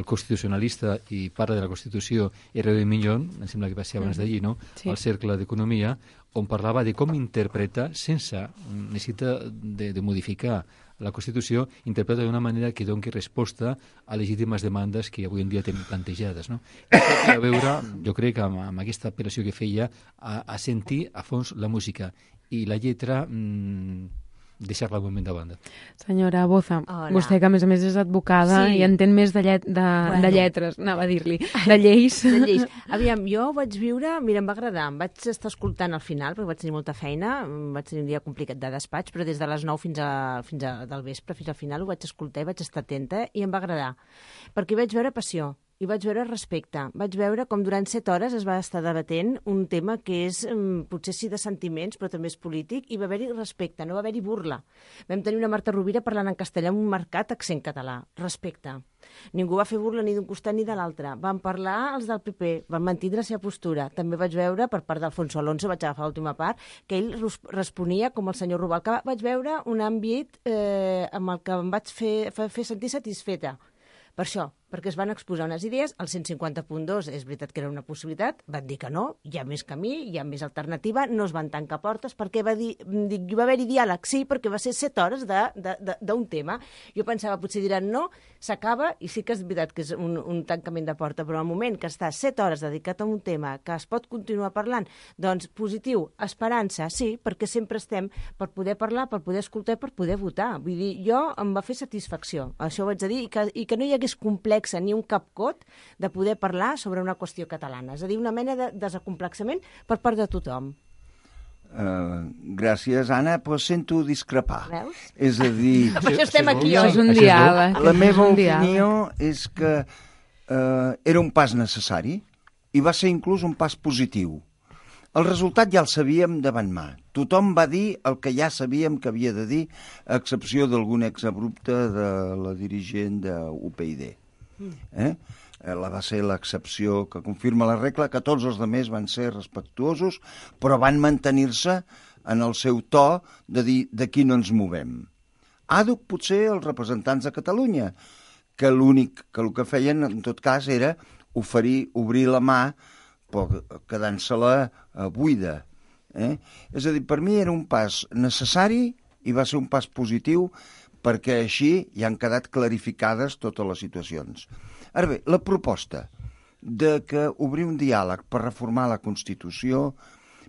constitucionalista i parla de la Constitució R.D. Millón, em sembla que va ser abans d'allí, no? Sí. Al Cercle d'Economia, on parlava de com interpreta, sense necessitat de modificar la Constitució, interpreta d'una manera que doni resposta a legítimes demandes que avui en dia tenim plantejades, no? Això té a veure, jo crec, amb aquesta apel·lació que feia a sentir a fons la música i la lletra deixar-la un moment de banda. Senyora Boza, vostè que a més és advocada i entén més de lletres, anava a dir-li, de lleis. De lleis. Aviam, jo vaig viure, mira, em va agradar, em vaig estar escoltant al final, perquè vaig tenir molta feina, vaig tenir un dia complicat de despatx, però des de les 9 fins del vespre, fins al final, ho vaig escoltar i vaig estar atenta i em va agradar, perquè vaig veure passió. I vaig veure respecte. Vaig veure com durant 7 hores es va estar debatent un tema que és, potser sí de sentiments, però també és polític, i va haver-hi respecte, no va haver-hi burla. Vam tenir una Marta Rovira parlant en castellà amb un marcat accent català. Respecte. Ningú va fer burla ni d'un costat ni de l'altre. Van parlar els del PP, van mantindre la seva postura. També vaig veure, per part d'Alfonso Alonso, vaig agafar l'última part, que ell responia com el senyor Rubalcaba. Vaig veure un àmbit amb el que em vaig fer sentir satisfeta. Per això, perquè es van exposar unes idees, el 150.2 és veritat que era una possibilitat, van dir que no, hi ha més camí, hi ha més alternativa, no es van tancar portes, perquè va haver-hi diàleg, sí, perquè va ser 7 hores d'un tema. Jo pensava, potser diran no, s'acaba, i sí que és veritat que és un tancament de porta, però al moment que està 7 hores dedicat a un tema, que es pot continuar parlant, doncs positiu, esperança, sí, perquè sempre estem per poder parlar, per poder escoltar, per poder votar. Vull dir, jo em va fer satisfacció, això ho vaig dir, i que no hi hagués complexa ni un capcot de poder parlar sobre una qüestió catalana. És a dir, una mena de desacomplexament per part de tothom. Gràcies, Anna, però sento discrepar. Veus? És a dir... això estem aquí, oi? És un diàleg. La meva opinió és que era un pas necessari i va ser inclús un pas positiu. El resultat ja el sabíem davant mà. Tothom va dir el que ja sabíem que havia de dir, a excepció d'algun exabrupte de la dirigent d'UPyD. Va ser l'excepció que confirma la regla, que tots els altres van ser respectuosos, però van mantenir-se en el seu to de dir d'aquí no ens movem. Àdhuc potser els representants de Catalunya, que l'únic que el que feien en tot cas era obrir la mà, però quedant-se-la buida. És a dir, per mi era un pas necessari i va ser un pas positiu perquè així ja han quedat clarificades totes les situacions. Ara bé, la proposta de que obrir un diàleg per reformar la Constitució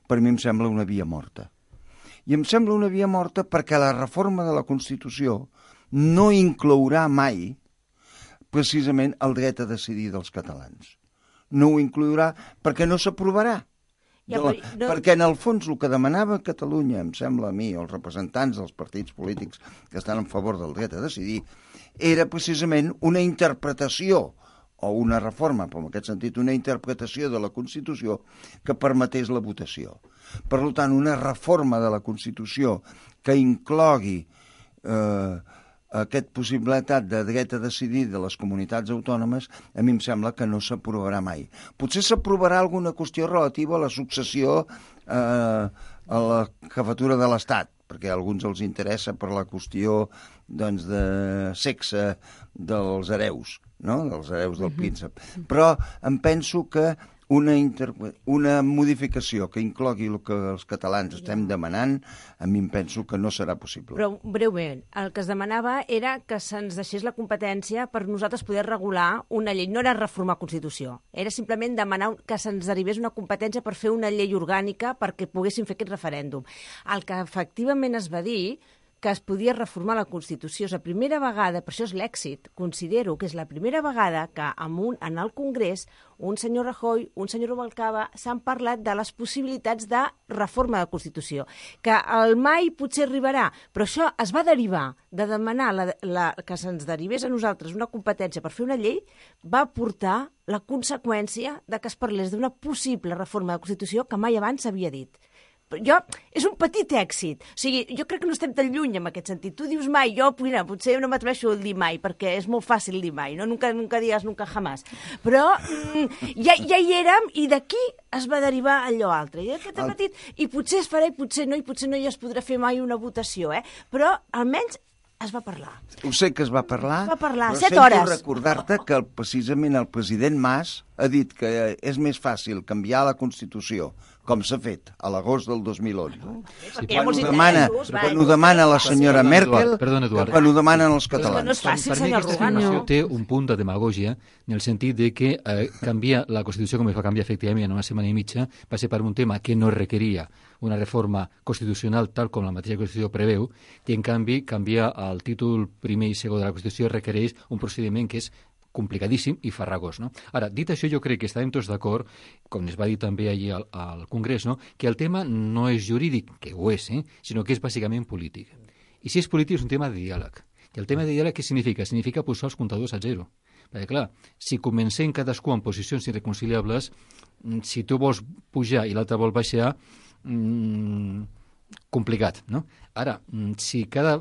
per mi em sembla una via morta. I em sembla una via morta perquè la reforma de la Constitució no inclourà mai precisament el dret a decidir dels catalans. No ho inclourà perquè no s'aprovarà. Perquè en el fons el que demanava Catalunya, em sembla a mi, els representants dels partits polítics que estan en favor del dret a decidir, era precisament una interpretació o una reforma, però en aquest sentit una interpretació de la Constitució que permetés la votació. Per tant, una reforma de la Constitució que inclogui aquesta possibilitat de dret a decidir de les comunitats autònomes, a mi em sembla que no s'aprovarà mai. Potser s'aprovarà alguna qüestió relativa a la successió a la jefatura de l'Estat, perquè a alguns els interessa per la qüestió doncs, de sexe dels hereus, no? Dels hereus del príncep. Però em penso que una modificació que inclogui el que els catalans estem demanant, a mi em penso que no serà possible. Però, breument, el que es demanava era que se'ns deixés la competència per nosaltres poder regular una llei. No era reformar Constitució, era simplement demanar que se'ns derivés una competència per fer una llei orgànica perquè poguéssim fer aquest referèndum. El que efectivament es va dir que es podia reformar la Constitució. És la primera vegada, per això és l'èxit, considero que és la primera vegada que en el Congrés un senyor Rajoy, un senyor Rubalcaba s'han parlat de les possibilitats de reforma de la Constitució, que el mai potser arribarà, però això es va derivar de demanar que se'ns derivés a nosaltres una competència per fer una llei, va portar la conseqüència de que es parlés d'una possible reforma de la Constitució que mai abans s'havia dit. És un petit èxit. O sigui, jo crec que no estem tan lluny en aquest sentit. Tu dius mai, jo potser no m'atreveixo a dir mai, perquè és molt fàcil dir mai, no? Nunca digas nunca jamás. Però ja hi érem i d'aquí es va derivar allò altre. I aquest petit, i potser es farà i potser no hi es podrà fer mai una votació, però almenys es va parlar. Ho sé que es va parlar, però 7 hores. Sento recordar-te que precisament el president Mas ha dit que és més fàcil canviar la Constitució, com s'ha fet a l'agost del 2011. Quan ho demana la senyora Merkel, quan ho demanen els catalans. No és fàcil, per mi senyor aquesta afirmació té un punt de demagògia en el sentit de que canviar la Constitució, com es va canviar efectivament en una setmana i mitja, va ser per un tema que no requeria una reforma constitucional tal com la mateixa Constitució preveu, i en canvi canviar el títol primer i segon de la Constitució requereix un procediment que és complicadíssim i farragós, no? Ara, dit això, jo crec que estàvem tots d'acord, com es va dir també allí al Congrés, no? Que el tema no és jurídic, que ho és, sinó que és bàsicament polític. I si és polític és un tema de diàleg. I el tema de diàleg què significa? Significa posar els comptadors a zero. Perquè, clar, si comencem cadascú en posicions irreconciliables, si tu vols pujar i l'altre vol baixar, complicat, no? Ara, si cada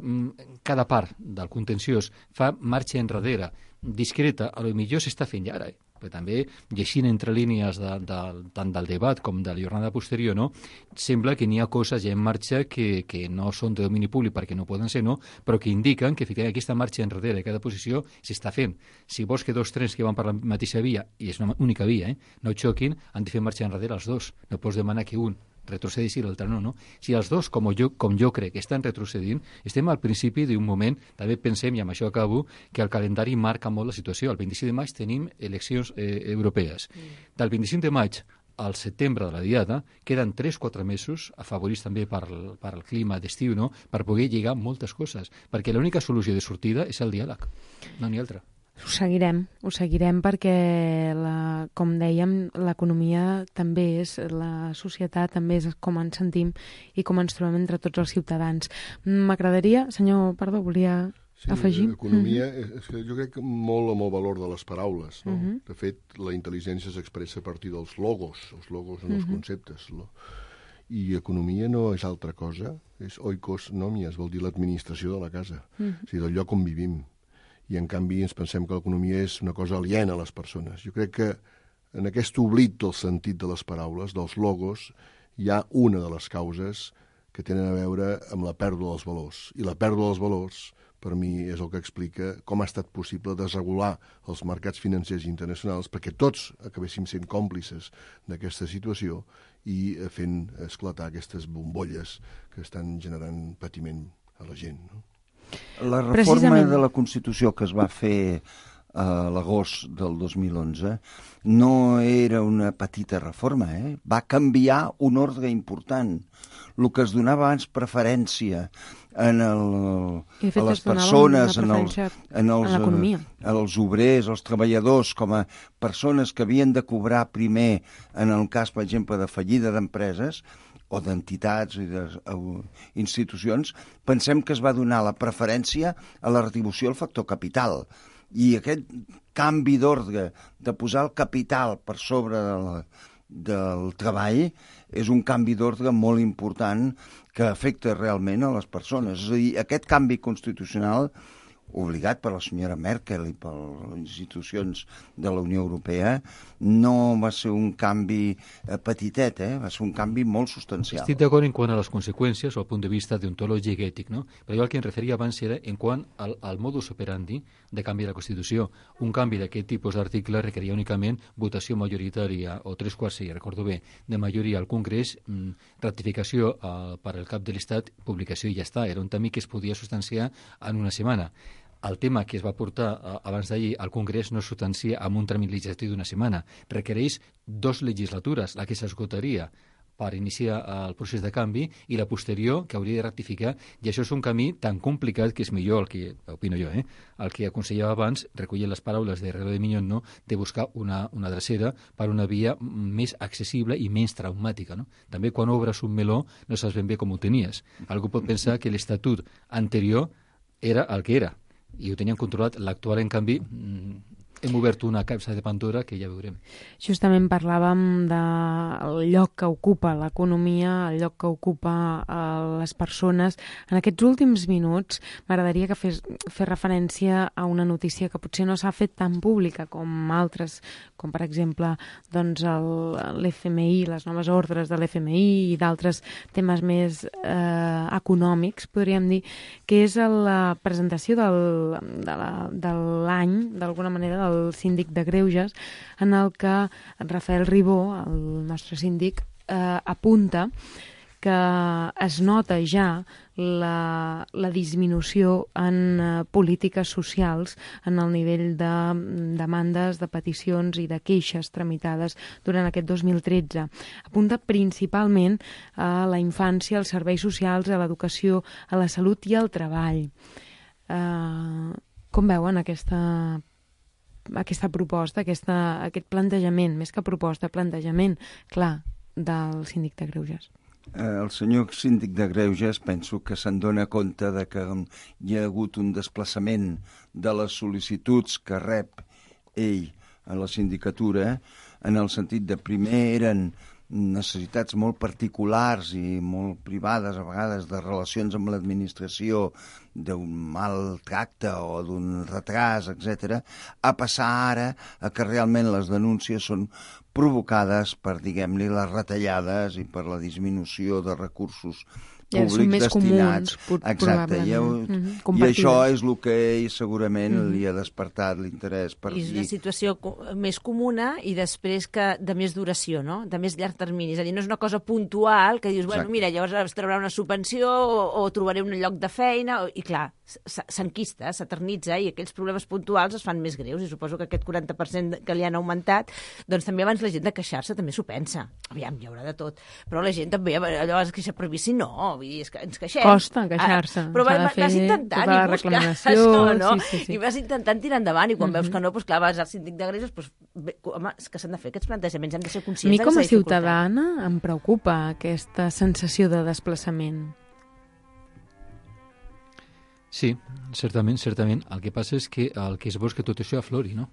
part del contenciós fa marxa enrere, discreta, a lo millor s'està fent ja ara, però també llegint entre línies tant del debat com de la jornada posterior, no? Sembla que n'hi ha coses ja en marxa que no són de domini públic perquè no poden ser, no? Però que indiquen que efectivament aquesta marxa enrere de cada posició s'està fent. Si vols que dos trens que van per la mateixa via, i és una única via, no xoquin, han de fer marxa enrere els dos. No pots demanar que un retrocedeixi i l'altre no. Si els dos, com jo crec, estan retrocedint, estem al principi d'un moment, també pensem, i amb això acabo, que el calendari marca molt la situació. El 25 de maig tenim eleccions europees. Del 25 de maig al setembre de la diada queden 3-4 mesos, afavorits també per el clima d'estiu, no? Per poder lligar moltes coses, perquè l'única solució de sortida és el diàleg, no n'hi ha altra. Ho seguirem perquè, com dèiem, l'economia també és, la societat també és com ens sentim i com ens trobem entre tots els ciutadans. M'agradaria, senyor, volia afegir? L'economia, és que jo crec molt amb el valor de les paraules, no? De fet, la intel·ligència s'expressa a partir dels logos. Els logos són els conceptes, no? I economia no és altra cosa, és oikos nomias, vol dir l'administració de la casa, o sigui, del lloc on vivim. I en canvi ens pensem que l'economia és una cosa aliena a les persones. Jo crec que en aquest oblit del sentit de les paraules, dels logos, hi ha una de les causes que tenen a veure amb la pèrdua dels valors. I la pèrdua dels valors, per mi, és el que explica com ha estat possible desregular els mercats financers internacionals perquè tots acabéssim sent còmplices d'aquesta situació i fent esclatar aquestes bombolles que estan generant patiment a la gent, no? La reforma de la Constitució que es va fer a l'agost del 2011, no era una petita reforma, va canviar un ordre important. El que es donava abans preferència a les persones, als obrers, als treballadors, com a persones que havien de cobrar primer en el cas, per exemple, de fallida d'empreses o d'entitats i d'institucions, pensem que es va donar la preferència a la retribució al factor capital. I aquest canvi d'ordre de posar el capital per sobre del treball és un canvi d'ordre molt important que afecta realment a les persones. És a dir, aquest canvi constitucional, obligat per la senyora Merkel i per les institucions de la Unió Europea, no va ser un canvi petitet, va ser un canvi molt substancial. Estic d'acord en quant a les conseqüències o al punt de vista deontològic i ètic, no? Però jo el que em referia abans era en quant al modus operandi de canvi de la Constitució. Un canvi d'aquest tipus d'article requeria únicament votació majoritària o 3/4, recordo bé, de majoria al Congrés, ratificació per al cap de l'Estat, publicació i ja està. Era un camí que es podia substanciar en una setmana. El tema que es va portar abans d'ahir al Congrés no es substancia amb un tràmit legislatiu d'una setmana. Requereix 2 legislatures, la que s'esgotaria per iniciar el procés de canvi i la posterior que hauria de ratificar, i això és un camí tan complicat que és millor, el que opino jo, el que aconsellava abans, recollint les paraules de Herrero de Miñón, no? De buscar una drecera per una via més accessible i menys traumàtica. No? També quan obres un meló no saps ben bé com ho tenies. Algú pot pensar que l'estatut anterior era el que era, i ho tenien controlat. L'actual, en canvi, hem obert una capsa de Pandora que ja veurem. Justament parlàvem del lloc que ocupa l'economia, el lloc que ocupa les persones. En aquests últims minuts m'agradaria que fes referència a una notícia que potser no s'ha fet tan pública com altres, com per exemple doncs l'FMI, les noves ordres de l'FMI i d'altres temes més econòmics, podríem dir, que és la presentació de l'any, d'alguna manera, del síndic de Greuges, en el que Rafael Ribó, el nostre síndic, apunta que es nota ja la disminució en polítiques socials en el nivell de demandes, de peticions i de queixes tramitades durant aquest 2013. Apunta principalment a la infància, als serveis socials, a l'educació, a la salut i al treball. Com veuen aquesta proposta, aquest plantejament, més que proposta, plantejament clar del síndic de Greuges? El senyor síndic de Greuges penso que se'n dona compte de que hi ha hagut un desplaçament de les sol·licituds que rep ell a la sindicatura, en el sentit de primer eren necessitats molt particulars i molt privades, a vegades, de relacions amb l'administració, d'un mal tracte o d'un retras, etc., a passar ara a que realment les denúncies són provocades per, diguem-ne, les retallades i per la disminució de recursos públics destinats. Exacte, i això és el que ell segurament li ha despertat l'interès per dir. És una situació més comuna i després que de més duració, no? De més llarg termini. És a dir, no és una cosa puntual que dius, bueno, mira, llavors es traurà una subvenció o trobaré un lloc de feina, i clar, s'enquista, s'eternitza, i aquells problemes puntuals es fan més greus, i suposo que aquest 40% que li han augmentat, doncs també abans la gent de queixar-se també s'ho pensa. Aviam, hi haurà de tot. Però la gent també, allò es queixa per vici, no, vull dir, és que ens queixem. Costa queixar-se. Però vas intentant i busques, no? Sí. I vas intentant tirar endavant, i quan veus que no, doncs clar, vas al síndic de Greuges, doncs, home, és que s'han de fer aquests plantejaments, hem de ser conscients. A mi com a ciutadana em preocupa aquesta sensació de desplaçament. Sí, certament. El que passa és que el que és bo és que tot això aflori, no?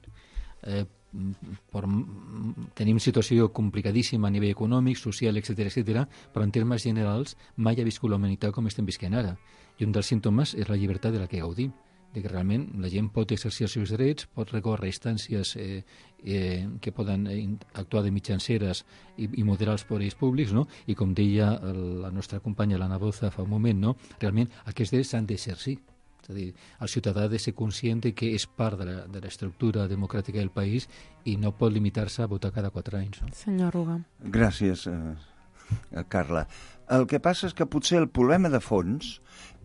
Tenim situació complicadíssima a nivell econòmic, social, etc., però en termes generals mai ha viscut la humanitat com estem visquent ara. I un dels símptomes és la llibertat de la que gaudim, de que realment la gent pot exercir els seus drets, pot recórrer instàncies que poden actuar de mitjanceres i moderar els poders públics, no? I com deia la nostra companya l'Anna Boza fa un moment, no? Realment aquests drets s'han d'exercir. És a dir, el ciutadà ha de ser conscient que és part de l'estructura democràtica del país i no pot limitar-se a votar cada 4 anys. No? Senyor Ruga. Gràcies, Carla. El que passa és que potser el problema de fons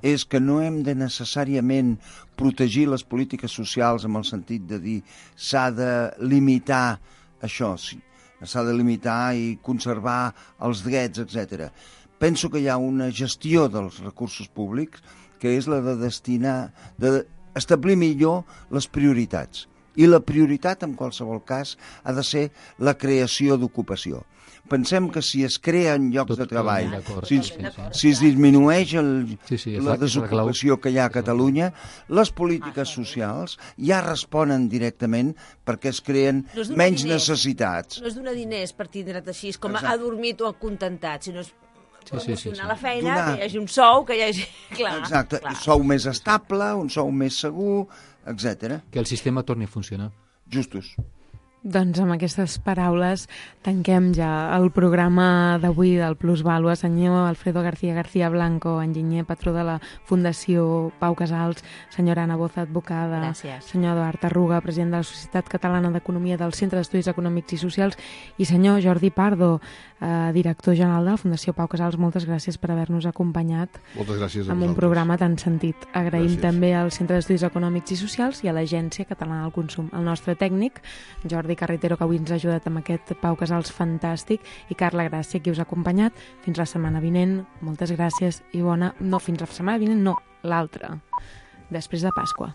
és que no hem de necessàriament protegir les polítiques socials en el sentit de dir s'ha de limitar això, sí, s'ha de limitar i conservar els drets, etc. Penso que hi ha una gestió dels recursos públics que és la de destinar, d'establir millor les prioritats. I la prioritat, en qualsevol cas, ha de ser la creació d'ocupació. Pensem que si es creen llocs de treball, si es disminueix la desocupació que hi ha a Catalunya, les polítiques socials ja responen directament perquè es creen menys necessitats. No és donar diners per tindre't així, com adormit o acontentat, sinó és promocionar la feina, que hi hagi un sou, que hi hagi... Exacte, un sou més estable, un sou més segur, etc. Que el sistema torni a funcionar. Justos. Doncs amb aquestes paraules tanquem ja el programa d'avui del Plusvàlua. Senyor Alfredo García Blanco, enginyer, patró de la Fundació Pau Casals, senyora Anna Boza, advocada, gràcies. Senyor Eduard Arruga, president de la Societat Catalana d'Economia del Centre d'Estudis Econòmics i Socials, i senyor Jordi Pardo, director general de la Fundació Pau Casals, moltes gràcies per haver-nos acompanyat. Moltes gràcies a amb vosaltres. un programa tan sentit. Agraïm Gràcies. també al Centre d'Estudis Econòmics i Socials i a l'Agència Catalana del Consum. El nostre tècnic, Jordi Carretero, que avui ens ha ajudat amb aquest Pau Casals fantàstic, i Carla Gràcia, qui us ha acompanyat. Fins la setmana vinent. Moltes gràcies i bona... No, fins la setmana vinent no, l'altra, després de Pasqua.